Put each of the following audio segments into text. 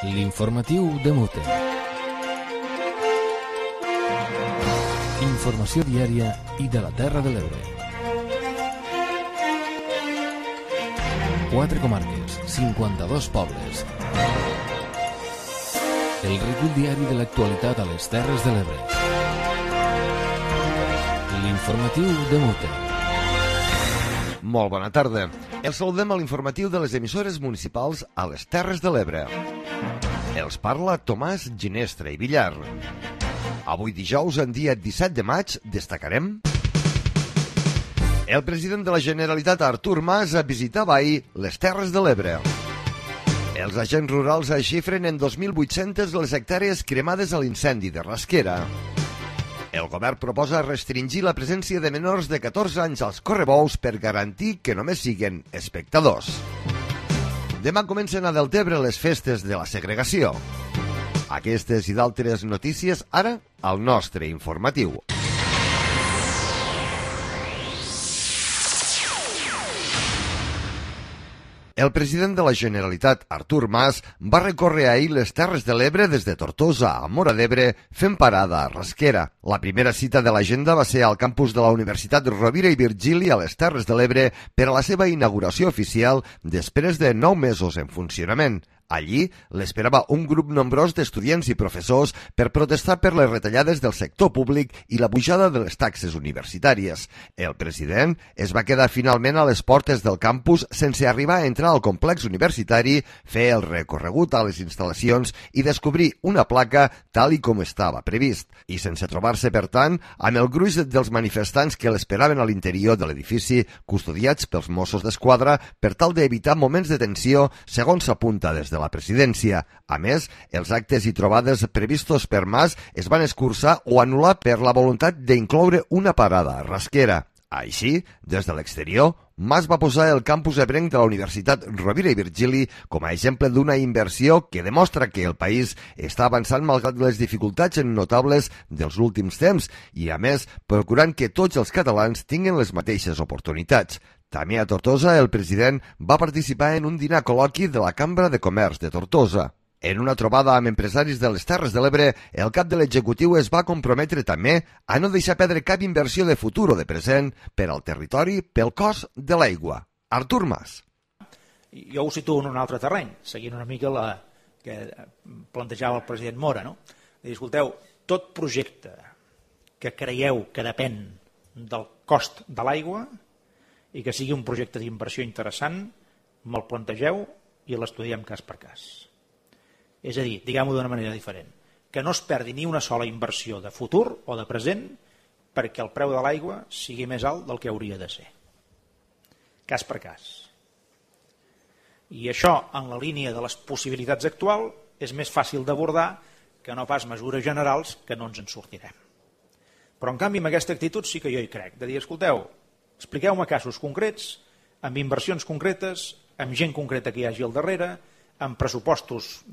L'informatiu de Mute. Informació diària i de la Terra de l'Ebre. 4 comarques, 52 pobles. El recull diari de l'actualitat a les Terres de l'Ebre. L'informatiu de Mute. Molt bona tarda. Els saludem a l'informatiu de les emissores municipals a les Terres de l'Ebre. Els parla Tomàs Ginestra i Villar. Avui dijous, en dia 17 de maig, destacarem... El president de la Generalitat, Artur Mas, visitava ahir les Terres de l'Ebre. Els agents rurals xifren en 2.800 les hectàrees cremades a l'incendi de Rasquera. El govern proposa restringir la presència de menors de 14 anys als correbous per garantir que només siguen espectadors. Demà comencen a Deltebre les festes de la segregació. Aquestes i d'altres notícies ara al nostre informatiu. El president de la Generalitat, Artur Mas, va recórrer ahir les Terres de l'Ebre des de Tortosa a Móra d'Ebre fent parada a Rasquera. La primera cita de l'agenda va ser al campus de la Universitat Rovira i Virgili a les Terres de l'Ebre per a la seva inauguració oficial després de 9 mesos en funcionament. Allí l'esperava un grup nombrós d'estudiants i professors per protestar per les retallades del sector públic i la pujada de les taxes universitàries. El president es va quedar finalment a les portes del campus sense arribar a entrar al complex universitari, fer el recorregut a les instal·lacions i descobrir una placa tal i com estava previst. I sense trobar-se, per tant, amb el gruix dels manifestants que l'esperaven a l'interior de l'edifici, custodiats pels Mossos d'Esquadra per tal d'evitar moments de tensió, segons s'apunta des de la presidència. A més, els actes i trobades previstos per Mas es van escurçar o anul·lar per la voluntat d'incloure una parada a Rasquera. Així, des de l'exterior, Mas va posar el campus ebrenc de la Universitat Rovira i Virgili com a exemple d'una inversió que demostra que el país està avançant malgrat les dificultats notables dels últims temps i, a més, procurant que tots els catalans tinguin les mateixes oportunitats. També a Tortosa, el president va participar en un dinar col·loqui de la Cambra de Comerç de Tortosa. En una trobada amb empresaris de les Terres de l'Ebre, el cap de l'executiu es va comprometre també a no deixar perdre cap inversió de futur o de present per al territori pel cost de l'aigua. Artur Mas. Jo ho situo en un altre terreny, seguint una mica la que plantejava el president Mora, no? I escolteu, tot projecte que creieu que depèn del cost de l'aigua i que sigui un projecte d'inversió interessant, me'l plantegeu i l'estudiem cas per cas. És a dir, diguem-ho d'una manera diferent, que no es perdi ni una sola inversió de futur o de present perquè el preu de l'aigua sigui més alt del que hauria de ser. Cas per cas. I això, en la línia de les possibilitats actuals, és més fàcil d'abordar que no pas mesures generals que no ens en sortirem. Però, en canvi, amb aquesta actitud sí que jo hi crec, de dir, escolteu, expliqueu-me casos concrets, amb inversions concretes, amb gent concreta que hi hagi al darrere, amb pressupostos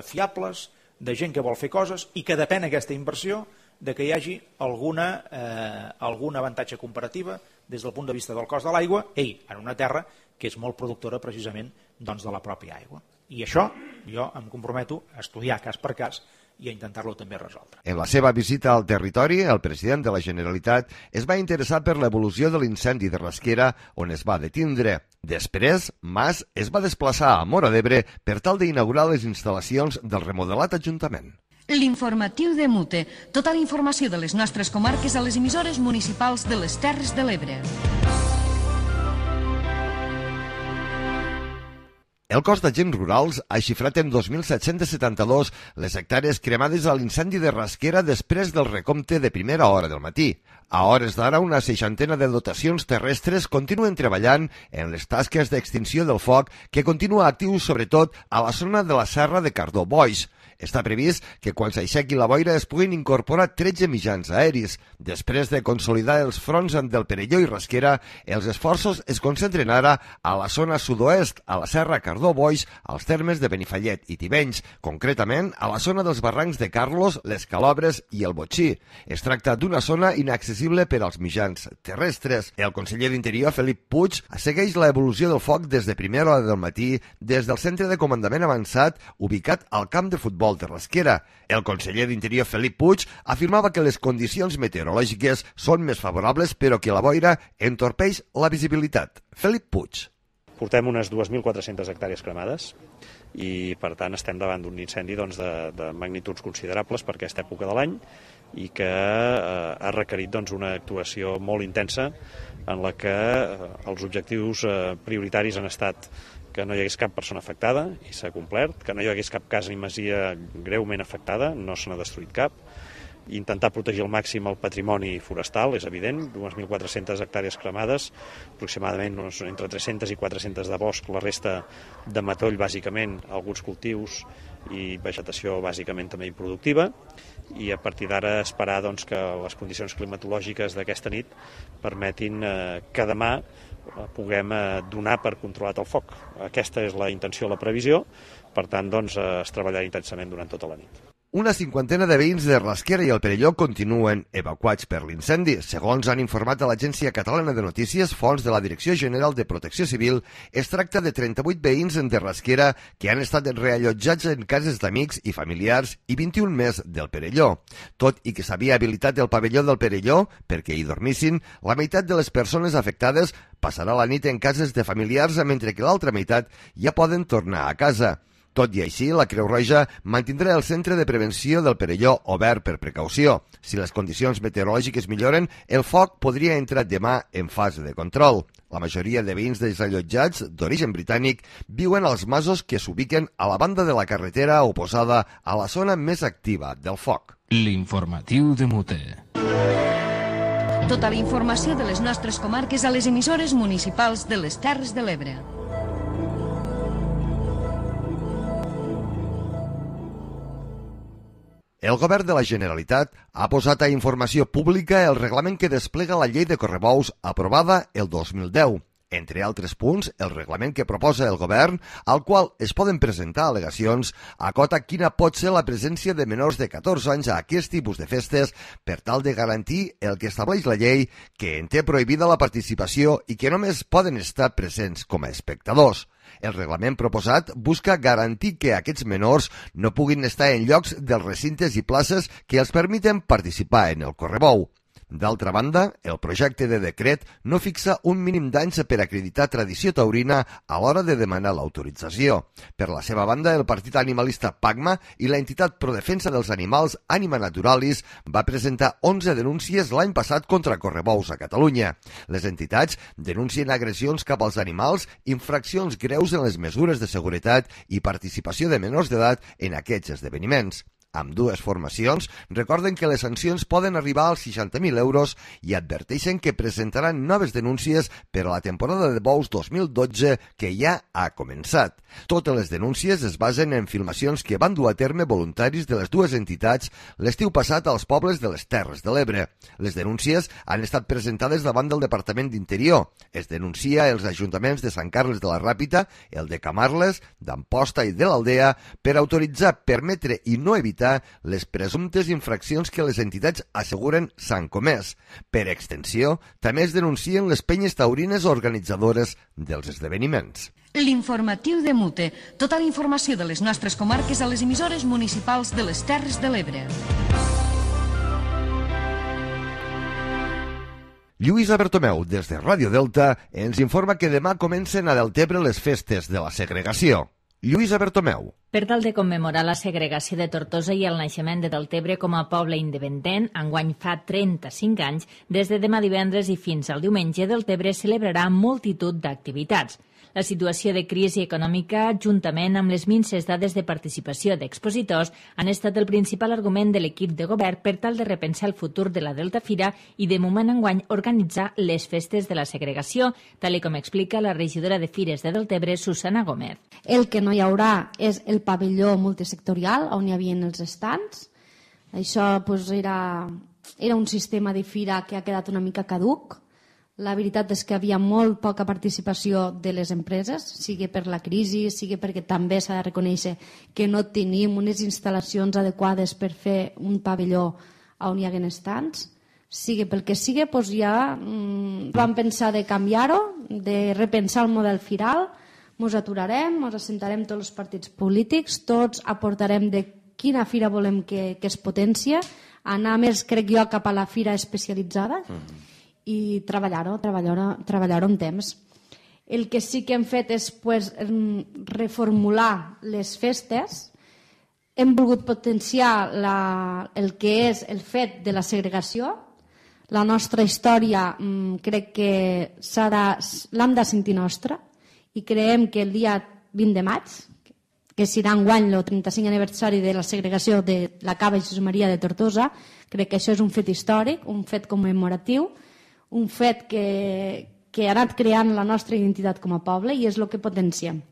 fiables, de gent que vol fer coses i que depèn aquesta inversió de que hi hagi algun avantatge comparativa des del punt de vista del cost de l'aigua en una terra que és molt productora precisament de la pròpia aigua. I això jo em comprometo a estudiar cas per cas i a intentar-lo també resoldre. En la seva visita al territori, el president de la Generalitat es va interessar per l'evolució de l'incendi de Rasquera, on es va detindre. Després, Mas es va desplaçar a Móra d'Ebre per tal d'inaugurar les instal·lacions del remodelat Ajuntament. L'informatiu de Mute. Tota la informació de les nostres comarques a les emissores municipals de les Terres de l'Ebre. El cos d'agents rurals ha xifrat en 2.772 les hectàrees cremades a l'incendi de Rasquera després del recompte de primera hora del matí. A hores d'ara, una 60 de dotacions terrestres continuen treballant en les tasques d'extinció del foc que continua actiu sobretot a la zona de la serra de Cardó-Boix. Està previst que quan s'aixequi la boira es puguin incorporar 13 mitjans aeris. Després de consolidar els fronts del Perelló i Rasquera, els esforços es concentren ara a la zona sud-oest, a la Serra Cardó-Boix, als termes de Benifallet i Tivenys, concretament a la zona dels barrancs de Carlos, les Calobres i el Botxí. Es tracta d'una zona inaccessible per als mitjans terrestres. El conseller d'Interior, Felip Puig, segueix l'evolució del foc des de primera hora del matí des del centre de comandament avançat ubicat al camp de futbol de Rasquera. El conseller d'Interior, Felip Puig, afirmava que les condicions meteorològiques són més favorables però que la boira entorpeix la visibilitat. Felip Puig. Portem unes 2.400 hectàrees cremades i, per tant, estem davant d'un incendi de magnituds considerables per aquesta època de l'any i que ha requerit una actuació molt intensa en la que els objectius prioritaris han estat que no hi hagués cap persona afectada, i s'ha complert, que no hi hagués cap casa ni masia greument afectada, no se n'ha destruït cap, intentar protegir al màxim el patrimoni forestal, és evident, 2.400 hectàrees cremades, aproximadament entre 300 i 400 de bosc, la resta de matoll, bàsicament, alguns cultius i vegetació bàsicament també improductiva, i a partir d'ara esperar que les condicions climatològiques d'aquesta nit permetin que demà puguem donar per controlat el foc. Aquesta és la intenció, la previsió, per tant, es treballarà intensament durant tota la nit. Una cinquantena de veïns de Rasquera i el Perelló continuen evacuats per l'incendi. Segons han informat a l'Agència Catalana de Notícies, fonts de la Direcció General de Protecció Civil, es tracta de 38 veïns de Rasquera que han estat reallotjats en cases d'amics i familiars i 21 més del Perelló. Tot i que s'havia habilitat el pavelló del Perelló perquè hi dormissin, la meitat de les persones afectades passarà la nit en cases de familiars, mentre que l'altra meitat ja poden tornar a casa. Tot i així, la Creu Roja mantindrà el centre de prevenció del Perelló obert per precaució. Si les condicions meteorològiques milloren, el foc podria entrar demà en fase de control. La majoria de veïns desallotjats d'origen britànic viuen als masos que s'ubiquen a la banda de la carretera oposada a la zona més activa del foc. L'informatiu de Mute. Tota la informació de les nostres comarques a les emissores municipals de les Terres de l'Ebre. El govern de la Generalitat ha posat a informació pública el reglament que desplega la llei de correbous aprovada el 2010. Entre altres punts, el reglament que proposa el govern, al qual es poden presentar al·legacions, acota quina pot ser la presència de menors de 14 anys a aquest tipus de festes per tal de garantir el que estableix la llei, que en té prohibida la participació i que només poden estar presents com a espectadors. El reglament proposat busca garantir que aquests menors no puguin estar en llocs dels recintes i places que els permeten participar en el correbou. D'altra banda, el projecte de decret no fixa un mínim d'anys per acreditar tradició taurina a l'hora de demanar l'autorització. Per la seva banda, el partit animalista PACMA i l'entitat Prodefensa dels Animals Anima Naturalis va presentar 11 denúncies l'any passat contra correbous a Catalunya. Les entitats denuncien agressions cap als animals, infraccions greus en les mesures de seguretat i participació de menors d'edat en aquests esdeveniments. Ambdues formacions recorden que les sancions poden arribar als 60.000 euros i adverteixen que presentaran noves denúncies per a la temporada de bous 2012 que ja ha començat. Totes les denúncies es basen en filmacions que van dur a terme voluntaris de les dues entitats l'estiu passat als pobles de les Terres de l'Ebre. Les denúncies han estat presentades davant del Departament d'Interior. Es denuncia els ajuntaments de Sant Carles de la Ràpita, el de Camarles, d'Amposta i de l'Aldea per autoritzar, permetre i no evitar les presumptes infraccions que les entitats asseguren s'han comès. Per extensió, també es denuncien les penyes taurines organitzadores dels esdeveniments. L'informatiu de Mute. Tota la informació de les nostres comarques a les emissores municipals de les Terres de l'Ebre. Lluïsa Bertomeu, des de Ràdio Delta, ens informa que demà comencen a Deltebre les festes de la segregació. Lluïsa Bertomeu. Per tal de commemorar la segregació de Tortosa i el naixement de Deltebre com a poble independent, enguany fa 35 anys, des de demà divendres i fins al diumenge, Deltebre celebrarà multitud d'activitats. La situació de crisi econòmica, juntament amb les minses dades de participació d'expositors, han estat el principal argument de l'equip de govern per tal de repensar el futur de la Delta Fira i de moment enguany organitzar les festes de la segregació, tal com explica la regidora de Fires de Deltebre, Susana Gómez. El que no hi haurà és el pavelló multisectorial on hi havia els estants. Això era un sistema de fira que ha quedat una mica caduc. La veritat és que havia molt poca participació de les empreses, sigui per la crisi, sigui perquè també s'ha de reconèixer que no tenim unes instal·lacions adequades per fer un pavelló on hi hagués estants. Sigui pel que sigui, doncs ja vam pensar de canviar-ho, de repensar el model firal. Ens aturarem, ens assentarem tots els partits polítics, tots aportarem de quina fira volem que es potencia, anar més, crec jo, cap a la fira especialitzada i treballar-ho en temps. El que sí que hem fet és reformular les festes. Hem volgut potenciar el que és el fet de la segregació. La nostra història crec que l'hem de sentir nostra i creiem que el dia 20 de maig, que serà enguany el 35 aniversari de la segregació de la Cava Jesús Maria de Tortosa, crec que això és un fet històric, un fet commemoratiu, un fet que ha anat creant la nostra identitat com a poble i és el que potenciem.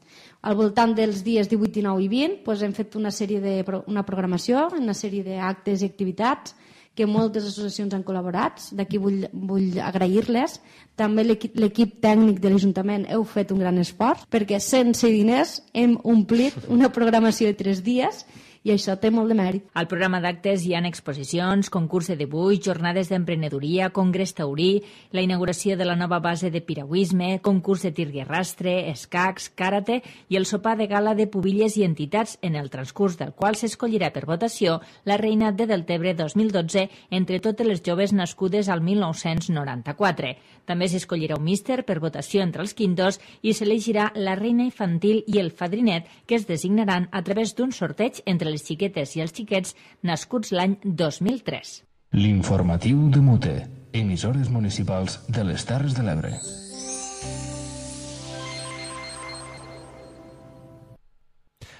Al voltant dels dies 18, 19 i 20 hem fet una programació, una sèrie d'actes i activitats que moltes associacions han col·laborat, d'aquí vull agrair-les. També l'equip tècnic de l'Ajuntament heu fet un gran esforç, perquè sense diners hem omplit una programació de 3 dies i això té molt de mèrit. Al programa d'actes hi ha exposicions, concurs de dibuix, jornades d'emprenedoria, congrés taurí, la inauguració de la nova base de piragüisme, concurs de tir i arrastre, escacs, karate i el sopar de gala de pubilles i entitats, en el transcurs del qual s'escollirà per votació la Reina de Deltebre 2012 entre totes les joves nascudes al 1994. També s'escollirà un míster per votació entre els quintos i s'elegirà la Reina Infantil i el Fadrinet, que es designaran a través d'un sorteig entre les xiquetes i els xiquets nascuts l'any 2003. L'informatiu de Mute, emissores municipals de les Terres de l'Ebre.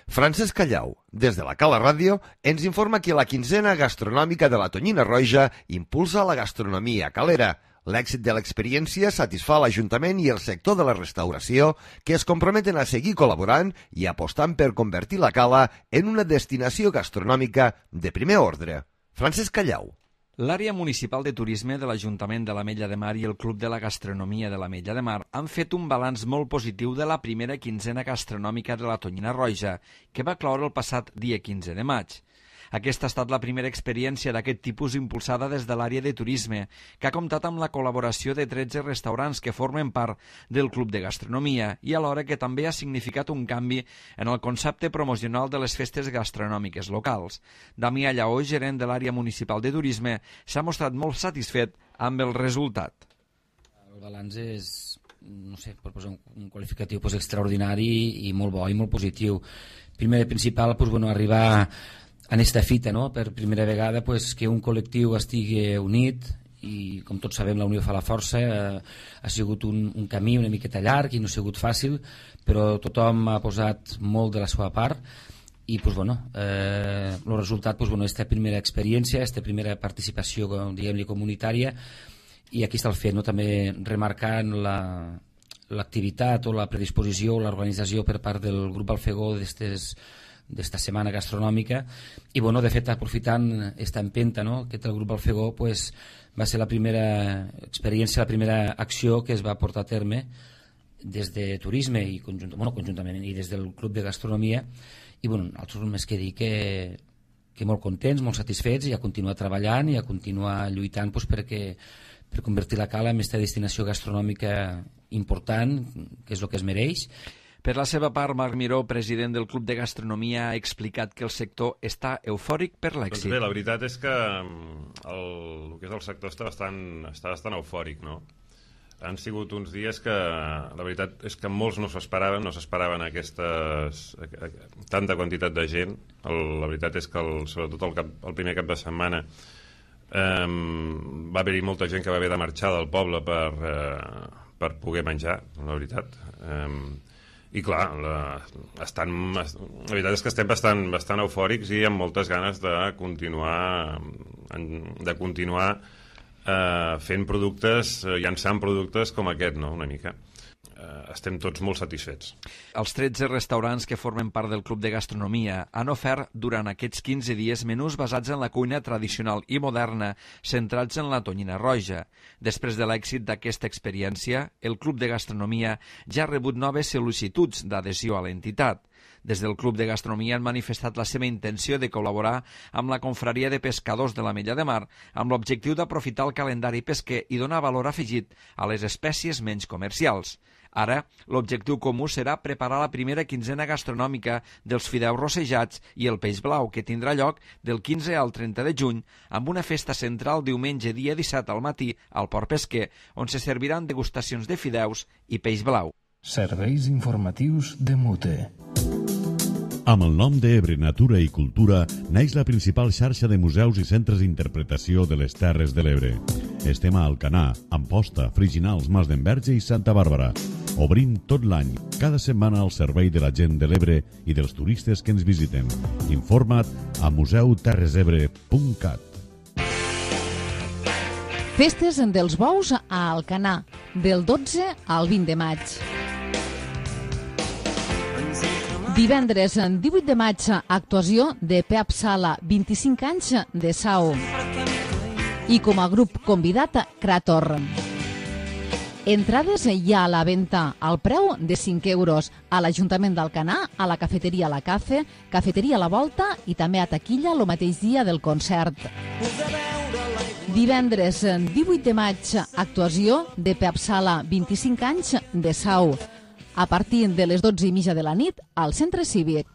Francesc Callau, des de la Cala Ràdio, ens informa que la quinzena gastronòmica de la Tonyina Roja impulsa la gastronomia calera. L'èxit de l'experiència satisfà l'Ajuntament i el sector de la restauració, que es comprometen a seguir col·laborant i apostant per convertir la Cala en una destinació gastronòmica de primer ordre. Francesc Callau. L'àrea municipal de turisme de l'Ajuntament de l'Ametlla de Mar i el Club de la Gastronomia de l'Ametlla de Mar han fet un balanç molt positiu de la primera quinzena gastronòmica de la Tonyina Roja, que va cloure el passat dia 15 de maig. Aquesta ha estat la primera experiència d'aquest tipus impulsada des de l'àrea de turisme, que ha comptat amb la col·laboració de 13 restaurants que formen part del Club de Gastronomia i alhora que també ha significat un canvi en el concepte promocional de les festes gastronòmiques locals. Damià Lleó, gerent de l'àrea municipal de turisme, s'ha mostrat molt satisfet amb el resultat. El balanç és, no sé, per posar un qualificatiu extraordinari i molt bo i molt positiu. Primer de principal, arribar en esta fita, no? Per primera vegada que un col·lectiu estigui unit i, com tots sabem, la unió fa la força. Ha sigut un camí una miqueta llarg i no ha sigut fàcil, però tothom ha posat molt de la seva part i el resultat és aquesta primera experiència, aquesta primera participació, diguem-li, comunitària, i aquí està el fet, no? També remarcant l'activitat o la predisposició o l'organització per part del grup Alfegó d'esta setmana gastronòmica i, de fet, aprofitant aquesta empenta, no?, que té el grup Alfegó, va ser la primera experiència, la primera acció que es va portar a terme des de turisme i conjuntament i des del club de gastronomia i, nosaltres només que dir que molt contents, molt satisfets i a continuar treballant i a continuar lluitant per convertir la Cala en aquesta destinació gastronòmica important, que és el que es mereix. Per la seva part, Marc Miró, president del Club de Gastronomia, ha explicat que el sector està eufòric per l'èxit. Doncs bé, la veritat és que el que és el sector està bastant eufòric, no? Han sigut uns dies que la veritat és que molts no s'esperaven tanta quantitat de gent. La veritat és que sobretot el primer cap de setmana va haver-hi molta gent que va haver de marxar del poble per poder menjar, la veritat. I clar, la veritat és que estem bastant eufòrics i amb moltes ganes de continuar fent productes, llançant productes com aquest, no? Una mica. Estem tots molt satisfets. Els 13 restaurants que formen part del Club de Gastronomia han ofert durant aquests 15 dies menús basats en la cuina tradicional i moderna, centrats en la tonyina roja. Després de l'èxit d'aquesta experiència, el Club de Gastronomia ja ha rebut noves sol·licituds d'adhesió a l'entitat. Des del Club de Gastronomia han manifestat la seva intenció de col·laborar amb la Confraria de Pescadors de l'Ametlla de Mar amb l'objectiu d'aprofitar el calendari pesquer i donar valor afegit a les espècies menys comercials. Ara, l'objectiu comú serà preparar la primera quinzena gastronòmica dels fideus rossejats i el peix blau, que tindrà lloc del 15 al 30 de juny, amb una festa central diumenge dia 17 al matí al Port Pesquer, on se serviran degustacions de fideus i peix blau. Serveis informatius de Mute. Amb el nom d'Ebre Natura i Cultura naix la principal xarxa de museus i centres d'interpretació de les Terres de l'Ebre. Estem a Alcanar, Amposta, Friginals, Mas d'Enverge i Santa Bàrbara. Obrim tot l'any, cada setmana al servei de la gent de l'Ebre i dels turistes que ens visiten. Informa't a museuterresebre.cat. Festes dels bous a Alcanar, del 12 al 20 de maig. Divendres, 18 de maig, actuació de Pep Sala, 25 anys de Sau. I com a grup convidat, Krator. Entrades hi ha a la venda al preu de 5 euros a l'Ajuntament d'Alcanar, a la cafeteria La Cafe, cafeteria La Volta i també a taquilla el mateix dia del concert. Divendres, 18 de maig, actuació de Pep Sala, 25 anys de Sau. A partir de les 12:30 de la nit al Centre Cívic.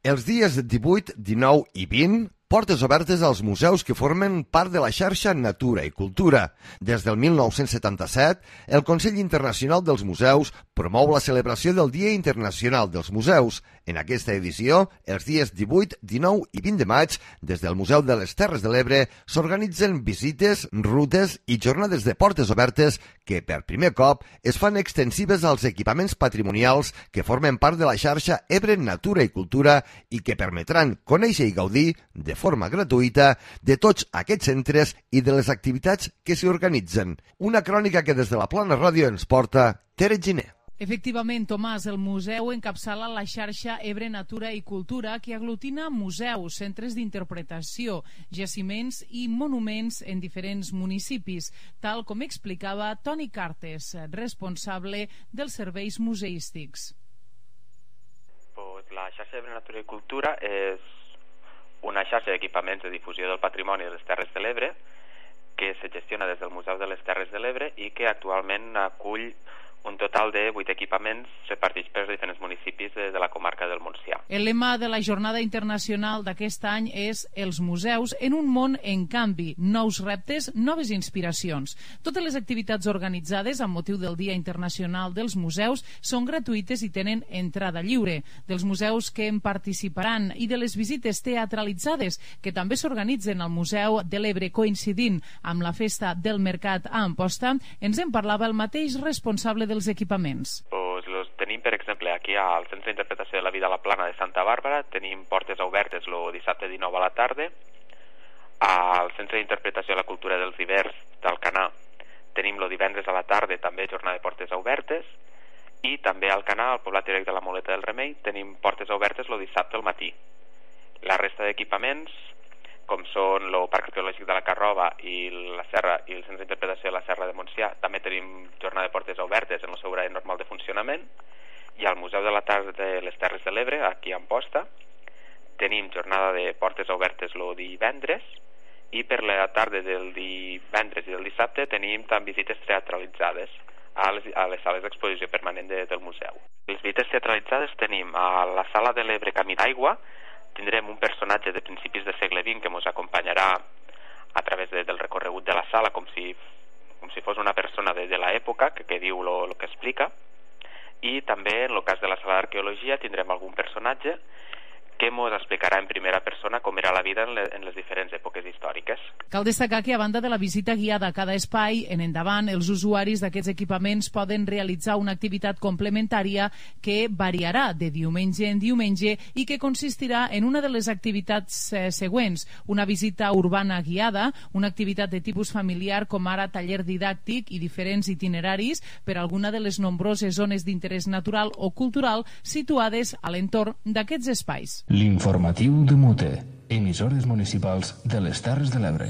Els dies 18, 19 i 20, portes obertes als museus que formen part de la xarxa Natura i Cultura. Des del 1977, el Consell Internacional dels Museus promou la celebració del Dia Internacional dels Museus. En aquesta edició, els dies 18, 19 i 20 de maig, des del Museu de les Terres de l'Ebre, s'organitzen visites, rutes i jornades de portes obertes que, per primer cop, es fan extensives als equipaments patrimonials que formen part de la xarxa Ebre Natura i Cultura i que permetran conèixer i gaudir de forma gratuïta de tots aquests centres i de les activitats que s'hi organitzen. Una crònica que des de la Plana Ràdio ens porta Tere Giner. Efectivament, Tomàs, el museu encapçala la xarxa Ebre Natura i Cultura que aglutina museus, centres d'interpretació, jaciments i monuments en diferents municipis, tal com explicava Toni Cartes, responsable dels serveis museístics. La xarxa Ebre Natura i Cultura és una xarxa d'equipaments de difusió del patrimoni de les Terres de l'Ebre que se gestiona des del Museu de les Terres de l'Ebre i que actualment acull un total de 8 equipaments repartits per diferents municipis de la comarca del Montsià. El lema de la jornada internacional d'aquest any és Els museus en un món en canvi, nous reptes, noves inspiracions. Totes les activitats organitzades amb motiu del Dia Internacional dels Museus són gratuïtes i tenen entrada lliure. Dels museus que en participaran i de les visites teatralitzades que també s'organitzen al Museu de l'Ebre coincidint amb la festa del Mercat a Amposta, ens en parlava el mateix responsable dels equipaments. Los tenim, per exemple, aquí al Centre d'Interpretació de la Vida a la Plana de Santa Bàrbara, tenim portes obertes el dissabte 19 a la tarda. Al Centre d'Interpretació de la Cultura dels Hiverns d'Alcanar tenim el divendres a la tarda també jornada de portes obertes, i també al Alcanar, al Poblat Direct de la Moleta del Remei, tenim portes obertes el dissabte al matí. La resta d'equipaments, com són el Parc Arqueològic de la Carrova i la Serra i el Centre d'Interpretació de la Serra de Montsià, també tenim jornada de portes obertes en el seu horari normal de funcionament, i al Museu de la Tarda de les Terres de l'Ebre, aquí a Amposta, tenim jornada de portes obertes el divendres, i per la tarda del divendres i del dissabte tenim també visites teatralitzades a les sales d'exposició permanent del museu. Les visites teatralitzades tenim a la Sala de l'Ebre Camí d'Aigua, tindrem un personatge de principis del segle XX que ens acompanyarà a través del recorregut de la sala com si fos una persona de l'època que diu el que explica. I també, en el cas de la sala d'arqueologia, tindrem algun personatge que ens explicarà en primera persona com era la vida en les diferents èpoques històriques. Cal destacar que, a banda de la visita guiada a cada espai, en endavant els usuaris d'aquests equipaments poden realitzar una activitat complementària que variarà de diumenge en diumenge i que consistirà en una de les activitats següents: una visita urbana guiada, una activitat de tipus familiar com ara taller didàctic i diferents itineraris per a alguna de les nombroses zones d'interès natural o cultural situades a l'entorn d'aquests espais. L'informatiu de Mute, emissores municipals de les Terres de l'Ebre.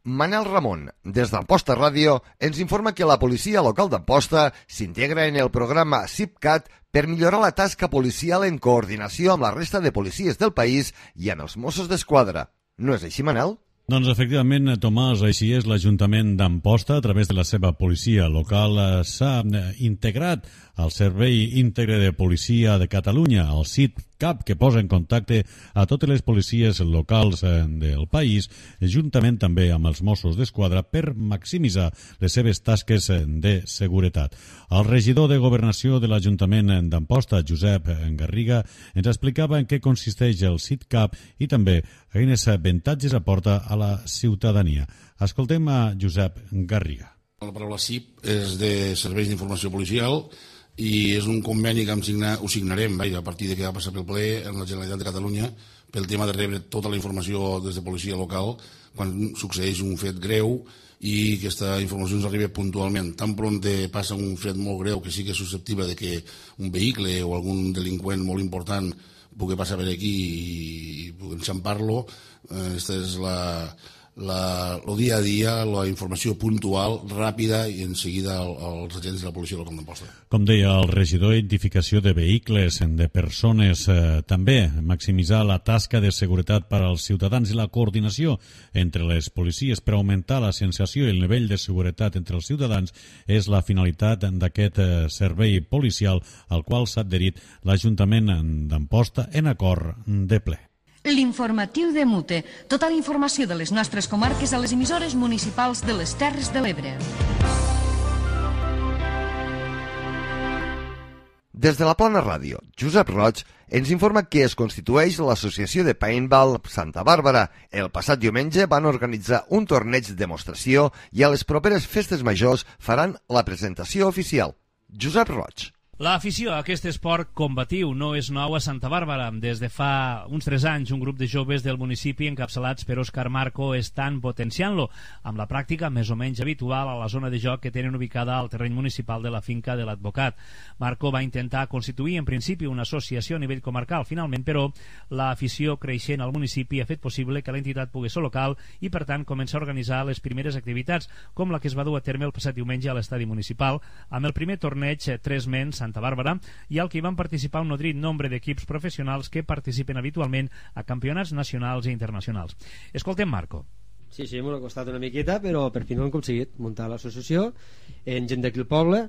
Manel Ramon, des d'Amposta Ràdio, ens informa que la policia local d'Amposta s'integra en el programa CIPCAT per millorar la tasca policial en coordinació amb la resta de policies del país i amb els Mossos d'Esquadra. No és així, Manel? Doncs efectivament, Tomàs, així és. L'Ajuntament d'Amposta, a través de la seva policia local, s'ha integrat al Servei Íntegre de Policia de Catalunya, el CIPCAT, que posa en contacte a totes les policies locals del país, juntament també amb els Mossos d'Esquadra, per maximitzar les seves tasques de seguretat. El regidor de Governació de l'Ajuntament d'Amposta, Josep Garriga, ens explicava en què consisteix el CIPCAT i també quins avantatges aporta a la ciutadania. Escoltem a Josep Garriga. La paraula CIP és de Serveis d'Informació Policial i és un conveni que ho signarem a partir de que va passar pel ple en la Generalitat de Catalunya pel tema de rebre tota la informació des de policia local quan succeeix un fet greu i aquesta informació ens arriba puntualment. Tan pront passa un fet molt greu que sí que és susceptible de que un vehicle o algun delinqüent molt important pugui passar per aquí i pugui enxampar-lo. Aquesta és el dia a dia, la informació puntual, ràpida i en seguida als agents de la policia local d'Amposta. Com deia el regidor, identificació de vehicles, de persones, també maximitzar la tasca de seguretat per als ciutadans i la coordinació entre les policies per augmentar la sensació i el nivell de seguretat entre els ciutadans és la finalitat d'aquest servei policial al qual s'ha adherit l'Ajuntament d'Amposta en acord de ple. L'informatiu de Mute. Tota la informació de les nostres comarques a les emissores municipals de les Terres de l'Ebre. Des de la Plana Ràdio, Josep Roig ens informa que es constitueix l'Associació de Paintball Santa Bàrbara. El passat diumenge van organitzar un torneig de demostració i a les properes festes majors faran la presentació oficial. Josep Roig. L'afició a aquest esport combatiu no és nou a Santa Bàrbara. Des de fa uns 3 anys, un grup de joves del municipi encapçalats per Òscar Marco estan potenciant-lo amb la pràctica més o menys habitual a la zona de joc que tenen ubicada al terreny municipal de la finca de l'advocat. Marco va intentar constituir en principi una associació a nivell comarcal. Finalment, però, l'afició creixent al municipi ha fet possible que l'entitat pogués ser local i, per tant, començar a organitzar les primeres activitats, com la que es va dur a terme el passat diumenge a l'estadi municipal, amb el primer torneig 3 mens Santa Bàrbara, i al que hi van participar un nodrit nombre d'equips professionals que participen habitualment a campionats nacionals i internacionals. Escoltem Marco. Sí, m'ho ha costat una miqueta, però per fi no hem aconseguit muntar l'associació en gent d'aquí al poble,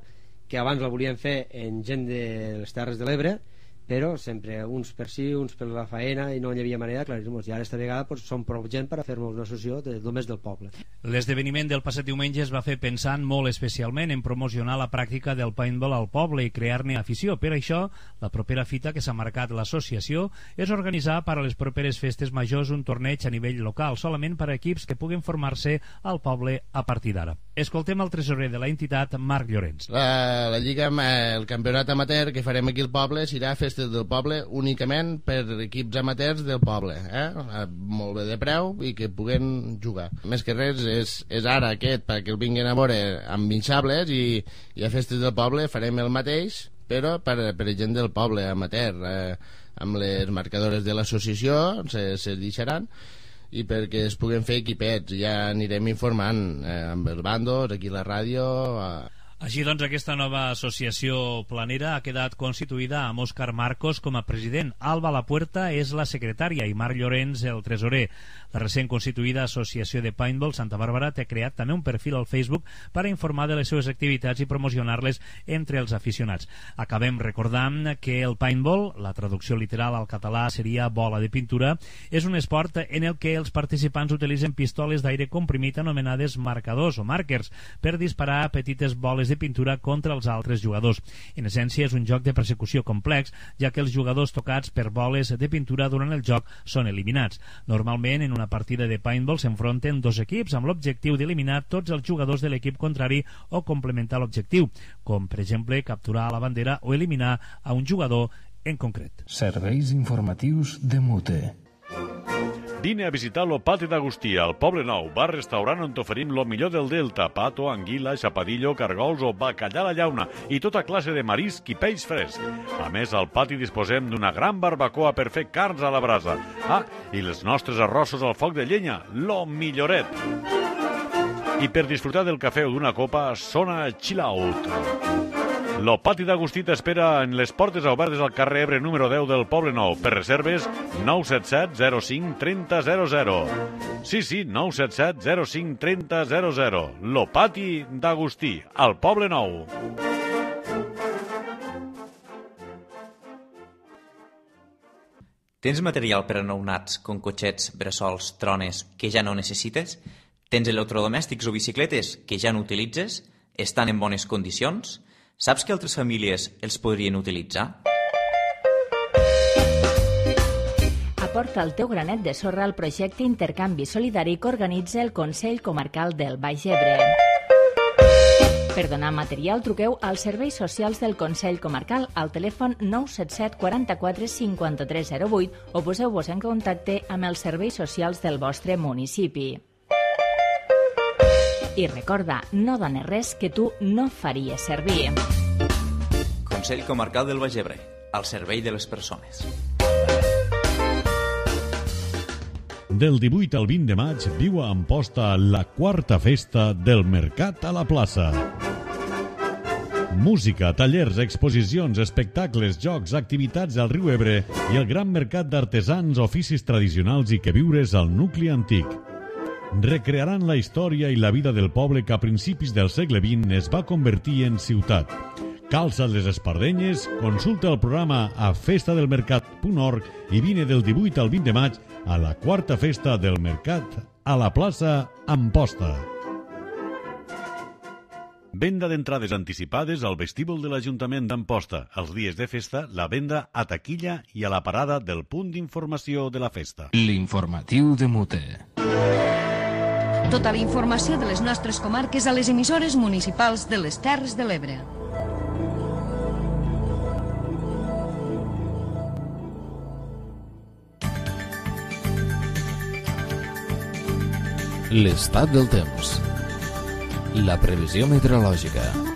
que abans la volíem fer en gent de les Terres de l'Ebre, però sempre uns per sí, uns per la faena, i no hi havia manera d'aclarir-nos. I ara esta vegada som prou gent per a fer-nos una associació només del poble. L'esdeveniment del passat diumenge es va fer pensant molt especialment en promocionar la pràctica del paintball al poble i crear-ne afició. Per això, la propera fita que s'ha marcat l'associació és organitzar per a les properes festes majors un torneig a nivell local, solament per a equips que puguen formar-se al poble a partir d'ara. Escoltem el tresorer de la entitat, Marc Llorenç. La lliga, el campionat amateur que farem aquí al poble serà festes del poble únicament per equips amateurs del poble, molt bé de preu i que puguen jugar. Més que res és ara aquest perquè el vinguin a veure amb vinxables i a festes del poble farem el mateix però per gent del poble amateur, amb les marcadores de l'associació se deixaran i perquè es puguen fer equipets. Ja anirem informant amb els bandos, aquí a la ràdio. Així doncs, aquesta nova associació planera ha quedat constituïda amb Òscar Marcos com a president. Alba Lapuerta és la secretària i Marc Llorenç el tresorer. La recent constituïda Associació de Paintball Santa Bàrbara té creat també un perfil al Facebook per a informar de les seves activitats i promocionar-les entre els aficionats. Acabem recordant que el paintball, la traducció literal al català seria bola de pintura, és un esport en el que els participants utilitzen pistoles d'aire comprimit anomenades marcadors o markers per disparar petites boles de pintura contra els altres jugadors. En essència, és un joc de persecució complex, ja que els jugadors tocats per boles de pintura durant el joc són eliminats. Normalment, en una partida de paintball s'enfronten dos equips amb l'objectiu d'eliminar tots els jugadors de l'equip contrari o complementar l'objectiu, com per exemple capturar la bandera o eliminar a un jugador en concret. Serveis informatius de Mute. Vine a visitar lo Pati d'Agustí, al Poble Nou, bar-restaurant on t'oferim lo millor del Delta, pato, anguila, xapadillo, cargols o bacallà a la llauna i tota classe de marisc i peix fresc. A més, al pati disposem d'una gran barbacoa per fer carns a la brasa. Ah, i els nostres arrossos al foc de llenya, lo milloret. I per disfrutar del cafè o d'una copa, sona Chill Out. Lo Pati d'Agustí t'espera en les portes obertes al carrer Ebre número 10 del Poble Nou. Per reserves, 977 05 30 00. Sí, 977 05 30 00. Lo Pati d'Agustí, al Poble Nou. Tens material per a nounats, com cotxets, bressols, trones, que ja no necessites? Tens electrodomèstics o bicicletes que ja no utilitzes? Estan en bones condicions? Saps que altres famílies els podrien utilitzar? Aporta el teu granet de sorra al projecte Intercanvi Solidari que organitza el Consell Comarcal del Baix Ebre. Per donar material, truqueu als serveis socials del Consell Comarcal al telèfon 977 44 53 08 o poseu-vos en contacte amb els serveis socials del vostre municipi. I recorda, no dones res que tu no faries servir. Consell Comarcal del Baix Ebre, al servei de les persones. Del 18 al 20 de maig viu a Amposta la quarta festa del Mercat a la Plaça. Música, tallers, exposicions, espectacles, jocs, activitats al riu Ebre i el gran mercat d'artesans, oficis tradicionals i queviures al nucli antic. Recrearan la història i la vida del poble que a principis del segle XX es va convertir en ciutat. Calça't les espardenyes, consulta el programa a festadelmercat.org i vine del 18 al 20 de maig a la quarta festa del Mercat a la plaça Amposta. Venda d'entrades anticipades al vestíbul de l'Ajuntament d'Amposta. Els dies de festa, la venda a taquilla i a la parada del punt d'informació de la festa. L'informatiu de Mute. Tota la informació de les nostres comarques a les emissores municipals de les Terres de l'Ebre. L'estat del temps. La previsió meteorològica.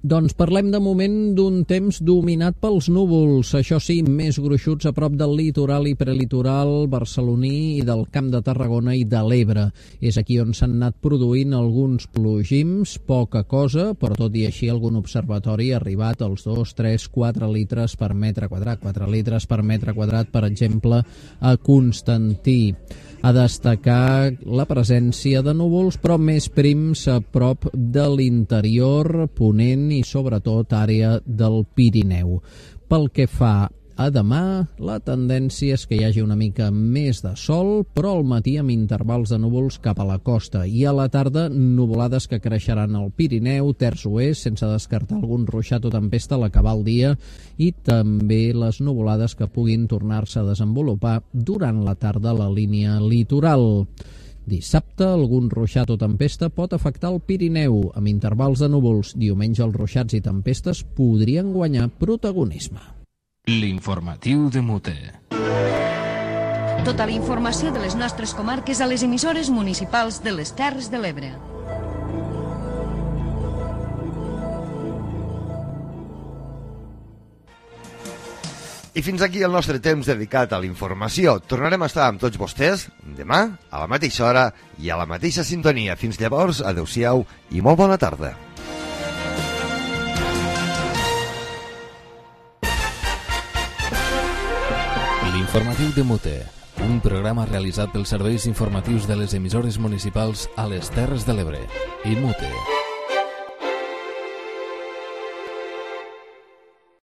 Doncs parlem de moment d'un temps dominat pels núvols, això sí, més gruixuts a prop del litoral i prelitoral barceloní i del Camp de Tarragona i de l'Ebre. És aquí on s'han anat produint alguns plogims, poca cosa, però tot i així algun observatori ha arribat als 2, 3, 4 litres per metre quadrat. 4 litres per metre quadrat, per exemple, a Constantí. A destacar la presència de núvols, però més prims a prop de l'interior, Ponent i sobretot àrea del Pirineu. Pel que fa a demà, la tendència és que hi hagi una mica més de sol, però al matí amb intervals de núvols cap a la costa i a la tarda nuvolades que creixeran al Pirineu, terç oest, sense descartar algun ruixat o tempesta a l'acabar el dia, i també les nuvolades que puguin tornar-se a desenvolupar durant la tarda a la línia litoral. Dissabte, algun ruixat o tempesta pot afectar el Pirineu, amb intervals de núvols. Diumenge, els ruixats i tempestes podrien guanyar protagonisme. L'informatiu de Mute. Tota la informació de les nostres comarques a les emissores municipals de les Terres de l'Ebre. I fins aquí el nostre temps dedicat a la informació. Tornarem a estar amb tots vostès demà, a la mateixa hora i a la mateixa sintonia. Fins llavors, adeu-siau i molt bona tarda. L'informatiu de Mute, un programa realitzat pels serveis informatius de les emissores municipals a les Terres de l'Ebre. I Mute.